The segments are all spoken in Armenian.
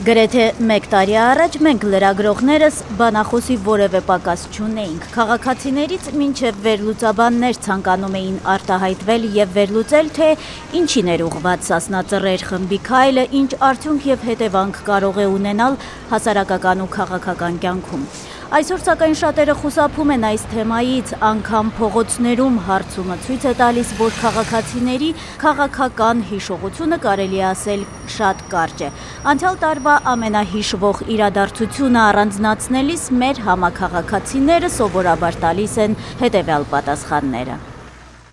Գրեթե մեկ տարի առաջ մենք լրագրողներս բանախոսի որևէ պակաս չունեինք։ Քաղաքացիներից մինչև վերլուծաբաններ ցանկանում էին արտահայտվել եւ վերլուծել, թե ինչին էր ուղղված Սասնա Ծռեր խմբի քայլը, ինչ արդյունք եւ հետևանք կարող է ունենալ հասարակական ու քաղաքական կյանքում։ Այսօր սակայն շատերը խուսափում են այս թեմայից, անգամ փողոցներում հարցումը ցույց է տալիս, որ քաղաքացիների քաղաքական հիշողությունը կարելի է ասել շատ կարճ է։ Անցյալ տարվա ամենահիշվող իրադարձությունը առանձնացնելիս մեր համաքաղաքացիները սովորաբար տալիս են հետևյալ պատասխանները։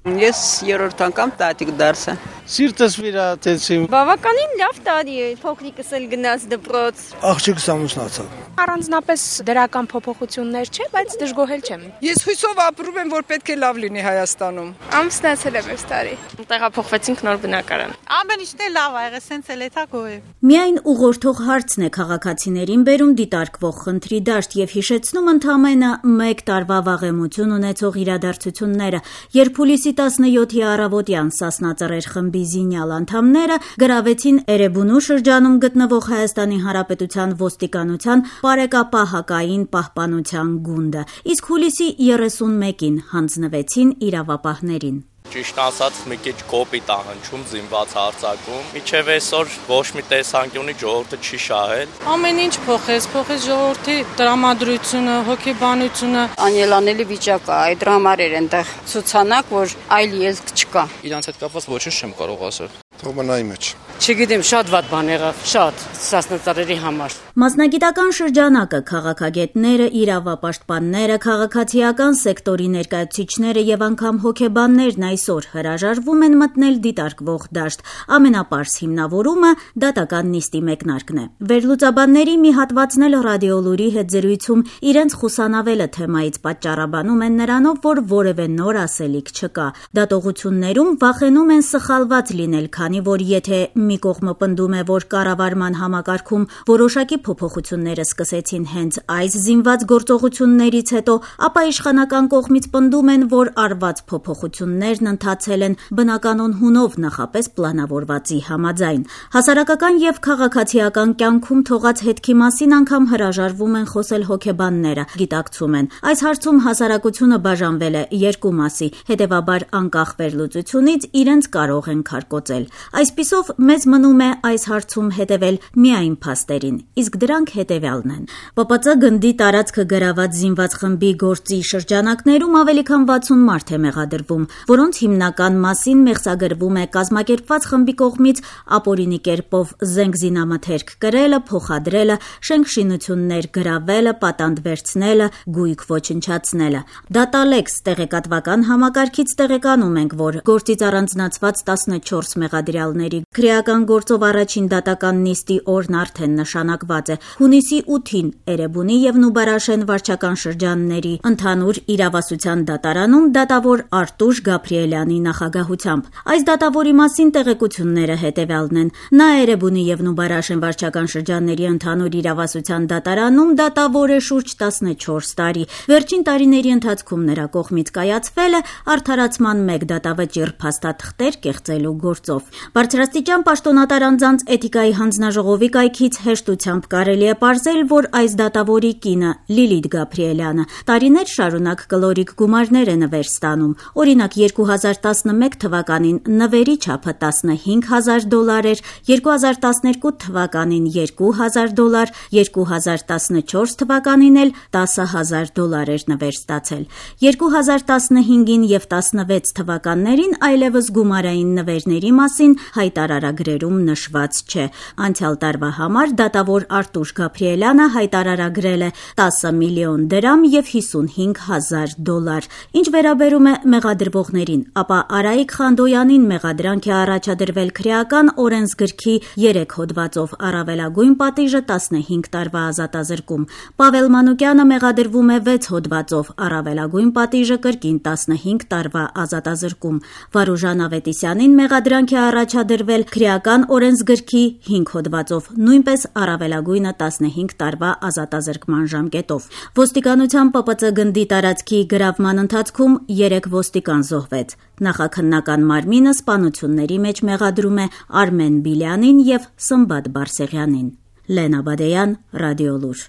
Ես երրորդ անգամ տատիկ դարձա։ Սիրտս վիրատեցի։ Բավականին լավ տարի է, փոքրիկս էլ գնաց դպրոց։ Աղջիկս ամուսնացավ։ Առանձնապես դրական փոփոխություններ չէ, բայց դժգոհել չեմ։ Ես հույսով ապրում եմ, որ պետք է լավ լինի Հայաստանում։ Ամուսնացել եմ այս տարի։ Տեղափոխվեցինք նոր բնակարան։ Ամեն ինչն է լավ ա եղել, սենց էլ էթա գոհ եմ։ Միայն ուղղորդող հարցն է քաղաքացիներին բերում դիտարկվող խնդրի դաշտ եւ հիշեցնում ընդամենը մեկ տարվա վաղեմություն ունեցող իրադարձությունները, երբ հուլիսի 17-ի առավոտյան Սասնա Ծռեր խմբի զինյալ անդամները գրավեցին Էրեբունու շրջանում գտնվող Հայաստանի Հանրապետության ոստիկանության Պարեկապահակային պահպանության գունդը, իսկ հուլիսի 31-ին հանձնվեցին իրավապահներին։ Ճիշտ ասած, մի քիչ կոպիտ ա հնչում զինված հարձակում։ Մինչև այսօր ոչ մի տեսանկյունի ժողովուրդը չի շահել։ Ամեն ինչ փոխեց ժողովրդի տրամադրությունը, հոգեբանությունը։ Անելանելի վիճակ է, այդ դրամար էր այնտեղ ցուցանակ, որ այլ ելք չկա։ Իրանց հետ կապված ոչինչ չեմ կարող ասել։ Թողնայի մեջ։ Չգիտեմ, շատ վատ բան եղավ, շատ Սասնա Ծռերի համար։ Մասնագիտական շրջանակը, քաղաքագետները, իրավապաշտպանները, քաղաքացիական սեկտորի ներկայացուցիչները եւ անգամ հոգեբաններն այսօր հրաժարվում են մտնել դիտարկվող դաշտ։ Ամենապարզ հիմնավորումը դատական նիստի մեկնարկն է։ Վերլուծաբանների մի հատվածն էլ ռադիոլուրի հետ զրույցում իրենց խուսանավելը թեմայից պատճառաբանում են նրանով, որ որևէ նոր ասելիք չկա։ Դատողություններում վախենում են սխալված լինել, քանի որ եթե մի կողմը պնդում է, որ կառավարման համակարգում որոշակի փոփոխությունները սկսեցին հենց այս զինված գործողություններից հետո, ապա իշխանական կողմից պնդում են, որ արված փոփոխություններն ընթացել են բնականon հունով նախապես պլանավորվածի համաձայն։ Հասարակական եւ քաղաքացիական կյանքում թողած հետքի մասին անգամ հրաժարվում են խոսել հոգեբանները, գիտակցում են։ Այս հարցում հասարակությունը բաժանվել է երկու մասի, հետեւաբար անկախ վերլուծությունից իրենց կարող են քարկոծել։ Այսպիսով մեզ մնում է այս հարցում հետևել միայն փաստերին, իսկ դրանք հետևյալն են։ ՊՊԾ գնդի տարածքը գրաված զինված խմբի գործի շրջանակներում ավելի քան 60 մարդ է մեղադրվում, որոնց հիմնական մասին մեղսագրվում է կազմակերպված խմբի կողմից ապօրինի կերպով զենք զինամթերք կրելը, փոխադրելը, շենքշինություններ գրավելը, պատանդ վերցնելը, գույք ոչնչացնելը։ Դատալեքս տեղեկատվական համակարգից տեղեկանում ենք, որ գործից առանձնացված 14 մեղադրյալների քրեական գործով առաջին դատական նիստի օրն արդեն նշանակված է։ Հունիսի 8-ին Էրեբունի եւ Նուբարաշեն վարչական շրջանների ընդհանուր իրավասության դատարանում դատավոր Արտուշ Գաբրիելյանի նախագահությամբ։ Այս դատավորի մասին տեղեկությունները հետևյալն են։ Նա Էրեբունի եւ Նուբարաշեն վարչական շրջանների ընդհանուր իրավասության դատարանում դատավոր է շուրջ 14 տարի։ Վերջին տարիների ընթացքում նրա կողմից կայացվել է արդարացման 1 դատավճիռ փաստաթղթեր կեղծելու գործով։ Բարձրաստիճան պաշտոնատար անձանց էթիկայի հանձնաժողովի կայքից հեշտությամբ կարելի է պարզել, որ այս դատավորի կինը Լիլիթ Գաբրիելյանը տարիներ շարունակ կլորիկ գումարներ է նվեր ստանում։ Օրինակ 2011 թվականին նվերի չափը $15,000 էր, 2012 թվականին $2,000, 2014 թվականին էլ $10,000 էր նվեր ստացել։ 2015-ին եւ 16 թվականներին այլևս գումարային նվերների մասին հայտարարագրերում նշված չէ։ Անցյալ տարվա համար դատավոր Արտուշ Գաբրիելյանը հայտարարագրել է 10 միլիոն դրամ եւ $55,000։ Ինչ վերաբերում է մեղադրվողներին, ապա Արայիկ Խանդոյանին մեղադրանք է առաջադրվել քրեական օրենսգրքի 3 հոդվածով, առավելագույն պատիժը 15 տարվա ազատազրկում։ Պավել Մանուկյանը մեղադրվում է 6 հոդվածով, առավելագույն պատիժը կրկին 15 տարվա ազատազրկում։ Վարուժան Ավետիսյանին մեղադրանք է առաջադրվել քրեական օրենսգրքի 5 հոդվածով, նույնպես առավելագույնը 15 տարվա ազատազրկման ժամկետով։ Ոստիկանության ՊՊԾ գնդի տարածքի գրավման ընթացքում 3 ոստիկան զոհվեց։ Նախաքննական մարմինը սպանությունների մեջ մեղադրում է Արմեն Բիլյանին եւ Սմբատ Բարսեղյանին։ Լենա Բադեյան, Ռադիոլուր։